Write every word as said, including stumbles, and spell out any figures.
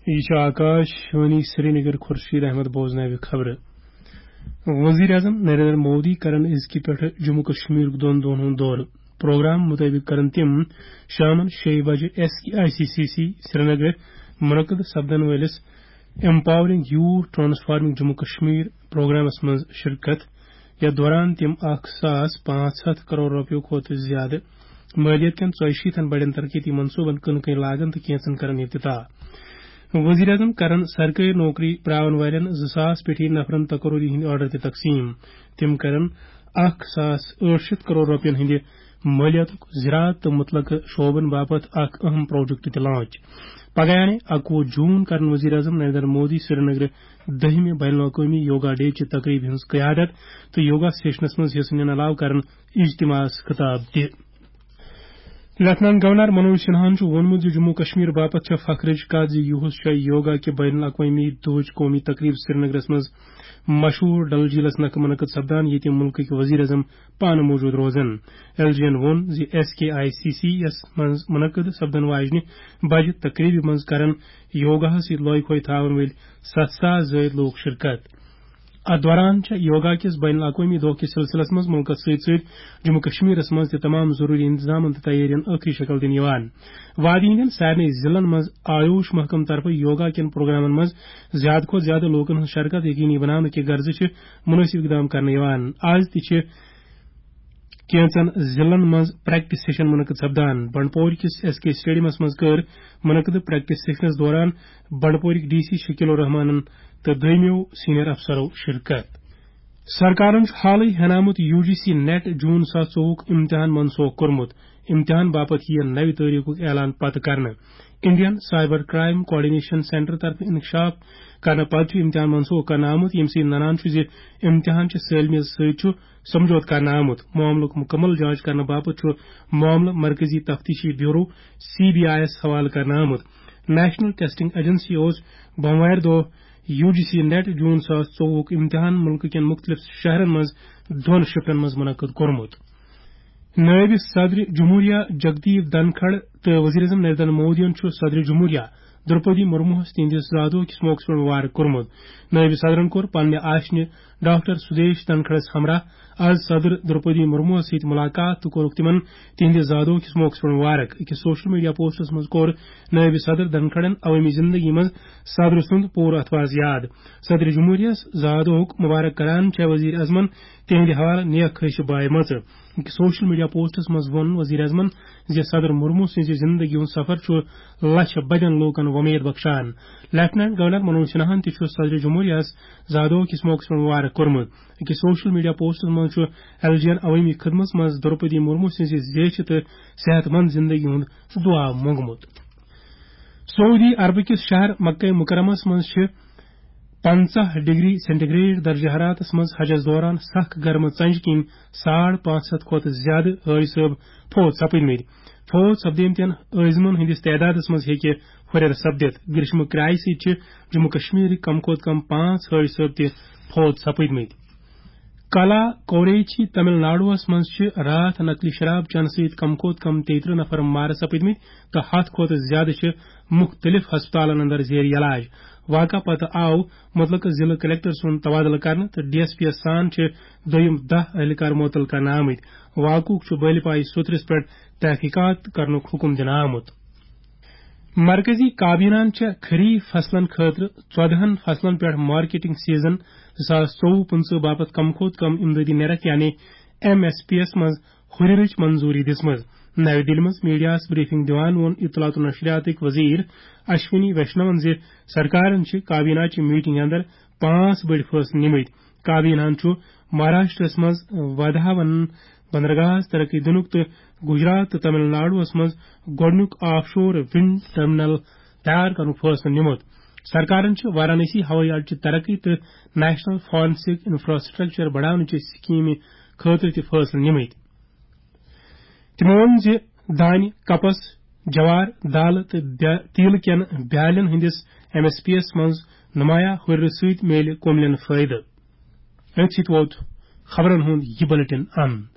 یہِ چھُ آکاش وانی سرینگر۔ خورشید احمد بوزناوِ خبرٕ۔ وزیر اعظم نریندر مودی کرن أزکہِ پٮ۪ٹھٕ جموں کشمیرُک دۄن دۄہن ہُنٛد دورٕ۔ پروگرام مُطٲبِق کرن تِم شامن شیٚیہِ بجہِ S K I C C C سرینگرٕ منعقد سپدن وٲلِس Empowering Youth Transforming Jammu Kashmir پروگرامس منٛز شرکت، یتھ دوران تِم اکھ ساس پانٛژھ ہتھ کرور رۄپیو کھۄتہٕ زیادٕ مٲلیت کٮ۪ن ژۄیہِ شیٖتن بڑٮ۪ن ترقیتی منصوبن کٕنہٕ کٕنۍ لاگن تہٕ کینژن کرن افتتاح۔ وزیر اعظم کرن سرکٲرۍ نوکری پراون والٮ۪ن زٕ ساس پیٹھی نفرن تقرری ہٕنٛدۍ آرڈر تہِ تقسیم۔ تِم کرن اکھ ساس ٲٹھ شیٚتھ کرور رۄپین ہٕنٛدِ مٲلیاتُک زراعت تہٕ متعلقہٕ شعبن باپتھ اکھ اہم پروجیکٹ تہِ لانچ۔ پگہہ یعنی اکوُہ جون کرن وزیر اعظم نریندر مودی سرینگرٕ دٔہمہِ بین الاقوٲمی یوگا ڈے چہِ تقریبہِ ہٕنٛز قیادت تہٕ یوگا سیشنس منٛز حصہٕ نِنہٕ علاوٕ کرن اجتماعس خطاب تہِ۔ لیفٹیننٹ گورنر منوج سنہاہن چھُ ووٚنمُت زِ جموں کشمیر باپتھ چھےٚ فخرٕچ کتھ زِ یُہُس چھےٚ یوگا کہِ بین الاقوٲمی دۄہٕچ قومی تقریب سرینگرس منٛز مشہوٗر ڈل جھیلس نکھٕ منعقد سپدان، ییٚتہِ مُلکٕکۍ وزیر اعظم پانہٕ موجود روزن۔ ایل جی ین ووٚن زِ S K I C C یس منٛز منعقد سپدن واجنہِ بجہِ تقریبہِ منٛز کرن یوگاہس سۭتۍ لۄے پھوے تھاون وٲلۍ ستھ ساس زٲیِد لوٗکھ شرکت۔ اتھ دوران چھےٚ یوگا کِس بین الاقوٲمی دۄہ کِس سلسلس منٛز مُلکس سۭتۍ سۭتۍ جموں کشمیرس منٛز تہِ تمام ضروٗری انتظامن تہٕ تیٲرین ٲخری شکل دِنہٕ یِوان۔ وادی ہٕنٛدٮ۪ن سارنٕے ضلعن منٛز آیوش محکمہٕ طرفہٕ یوگا کٮ۪ن پروگرامن منٛز زیادٕ کھۄتہٕ زیادٕ لوٗکن ہٕنٛز شرکت یقینی بناونہٕ کہِ غرضہٕ چھِ مُنٲسِب اقدام کرنہٕ یِوان۔ از تہِ چھِ کینٛژن ضلعن منٛز پریکٹس سیشن منعقد سپدان۔ بنڈپور کِس ایس کے اسٹیڈیمس منٛز کٔر منعقد پریکٹس سیشنس دوران بنڈپورٕکۍ ڈی سی شکیل الرحمانن تہٕ دوٚیمیو سینئر افسرو شرکت۔ سرکارن چھُ حالٕے ہینامُت یو جی سی نیٹ جون زٕ ساس ژوٚوُہُک امتحان منسوخ کوٚرمُت۔ امتحان باپتھ یِیَن نوِ تٲریخُک اعلان پتہٕ کرنہٕ۔ Indian cyber crime coordination centre طرفہٕ انکشاف کرنہٕ پتہٕ چھُ امتحان منسوخ کرنہٕ آمُت، ییٚمہِ سۭتۍ ننان چھُ زِ امتحان چھِ سٲلمیت سۭتۍ چھُ سمجھوتہٕ کرنہٕ آمُت۔ معاملُک مکمل جانچ کرنہٕ باپتھ چھُ معاملہٕ مرکزی تفتیشی بیورو، سی بی آئی یَس حوالہٕ کرنہٕ آمُت۔ نیشنل ٹیسٹنگ ایجنسی اوس بوموارِ دۄہ یو جی سی نیٹ جون زٕ ساس ژوٚوُہُک امتحان مُلکہٕ کٮ۪ن مُختٔلِف شہرن منٛز دۄن شفٹن منٛز منعقد کوٚرمُت۔ نٲیِب صدر جمہوریہ جگدیپ دھنکھڑ تہٕ وزیر اعظم نریندر مودیَن چھُ صدر جمہوریہ درپدی مرموہس تِہنٛدِس زادو کِس موقعس پٮ۪ٹھ مبارک کوٚرمُت۔ نٲیِب صدرن کوٚر پننہِ آشنہِ ڈاکٹر سدیش دھنکھڑس ہمراہ از صدر درپدی مرموہس سۭتۍ ملاقات تہٕ کوٚرُکھ تِمن تِہنٛدِ زادو کِس موقعس پٮ۪ٹھ مبارک۔ أکِس سوشل میڈیا پوسٹس منٛز کوٚر نٲیِب صدر دھنکھڑن عوٲمی زندگی منٛز صدر سُنٛد پوٗرٕ اتھواز یاد۔ صدر جمہوریہ زادوہُک مبارک کران چھےٚ وزیر اعظمن تِہنٛدِ حوالہٕ نیک خٲہشہِ بایہِ مژٕ۔ أکِس سوشل میڈیا پوسٹس منٛز ووٚن وزیر اعظمن زِ صدر مرمو سٕنٛزِ زندگی ہُنٛد سفر چھُ لچھ بدٮ۪ن لوٗکن وۄمید بخشان۔ لیفٹیننٹ گورنر منوج سنہاہن تہِ چھُ صدر جمہوریہ یَس زادوہ کِس موقعس پٮ۪ٹھ مبارک کوٚرمُت۔ أکِس سوشل میڈیا پوسٹس منٛز چھُ ایل جی ین عوٲمی خدمت منٛز درپدی مرمو سٕنٛزِ زیچھِ تہٕ صحت مند زندگی ہُنٛد دُعا مۄنگمُت۔ سعودی عربہٕ کِس شہر مکہ مکرمس منٛز چھِ پنٛژاہ ڈگری سینٹی گریڈ درجہ حرارتس منٛز حجس دوران سخ گرمہٕ ژنجہِ کِنۍ ساڑ پانٛژھ ہتھ کھۄتہٕ زیادٕ حٲج صٲب فوت سپٕدمٕتۍ۔ فوت سپدیمتٮ۪ن عٲزمن ہٕنٛدِس تعدادس منٛز ہیٚکہِ ہُرٮ۪ر سپدِتھ۔ گریشمہٕ کرایہِ سۭتۍ چھِ جموں کشمیرٕکۍ کم کھۄتہٕ کم پانٛژھ حٲج صٲب تہِ فوت سپٕدمٕتۍ۔ کلا کوریچی تمل ناڈوَس منٛز چھِ راتھ نقلی شراب چنہٕ سۭتۍ کم کھۄتہٕ کم تیٚیہِ ترٕٛہ نفر مارٕ سپٕدمٕتۍ تہٕ ہتھ کھۄتہٕ زیادٕ چھِ مُختٔلِف ہسپتالن اندر زیر علاج۔ واقعہٕ پتہٕ آو مُتلقہٕ ضلعہٕ کلکٹر سُنٛد تبادلہٕ کرنہٕ تہٕ ڈی ایس پی یَس سان چھِ دوٚیِم دَہ اہلکار معطل کرنہٕ آمٕتۍ۔ واقعُک چھُ بٲلۍ پایہِ سوٚترِس پٮ۪ٹھ تحقیقات کرنُک حُکم دِنہٕ آمُت۔ مرکزی کابینہَن چھےٚ خریف فصلن خٲطرٕ ژۄدہَن فصلن پٮ۪ٹھ مارکیٹنگ سیزن زٕ ساس ژوٚوُہ پٕنٛژٕہ باپتھ کم کھۄتہٕ کم امدادی نرخ یعنی ایم ایس پی یَس منٛز ہُرٮ۪رٕچ منظوٗری دِژمٕژ۔ نَوِ دِلہِ منٛز میڈیاہَس بریفنگ دِوان ووٚن اطلاعات و نشریاتٕکۍ وزیر اشونی ویشنون زِ سرکارن چھِ کابینہ چہِ میٹنگ اندر پانٛژھ بٔڑۍ فٲصلہٕ نِمٕتۍ۔ کابینہَن چھُ مہاراشٹرس منٛز وادھاون بندرگاہَس ترقی دِنُک تہٕ گجرات تہٕ تمل ناڈوَس منٛز گۄڈٕنیُک آف شور ونڈ ٹرمینل تیار کرنُک فٲصلہٕ نِمُت۔ سرکارن چھِ وارانسی ہوٲیی اڈٕ چہِ ترقی تہٕ نیشنل فارنسک انفراسٹرکچر بڑاونہٕ چہِ سکیمہِ خٲطرٕ تہِ فٲصلہٕ نِمٕتۍ۔ تِمو ووٚن زِ دانہِ، کپس، جوار، دالہٕ تہٕ بیا-، تیٖلہٕ کٮ۪ن بیالٮ۪ن ہٕنٛدِس ایم ایس پی یَس منٛز نمایاں ہُرٮ۪ر سۭتۍ میلہِ کوملین فٲیدٕ۔ أتھۍ سۭتۍ ووت خبرن ہُنٛد یہِ بلیٹن اند۔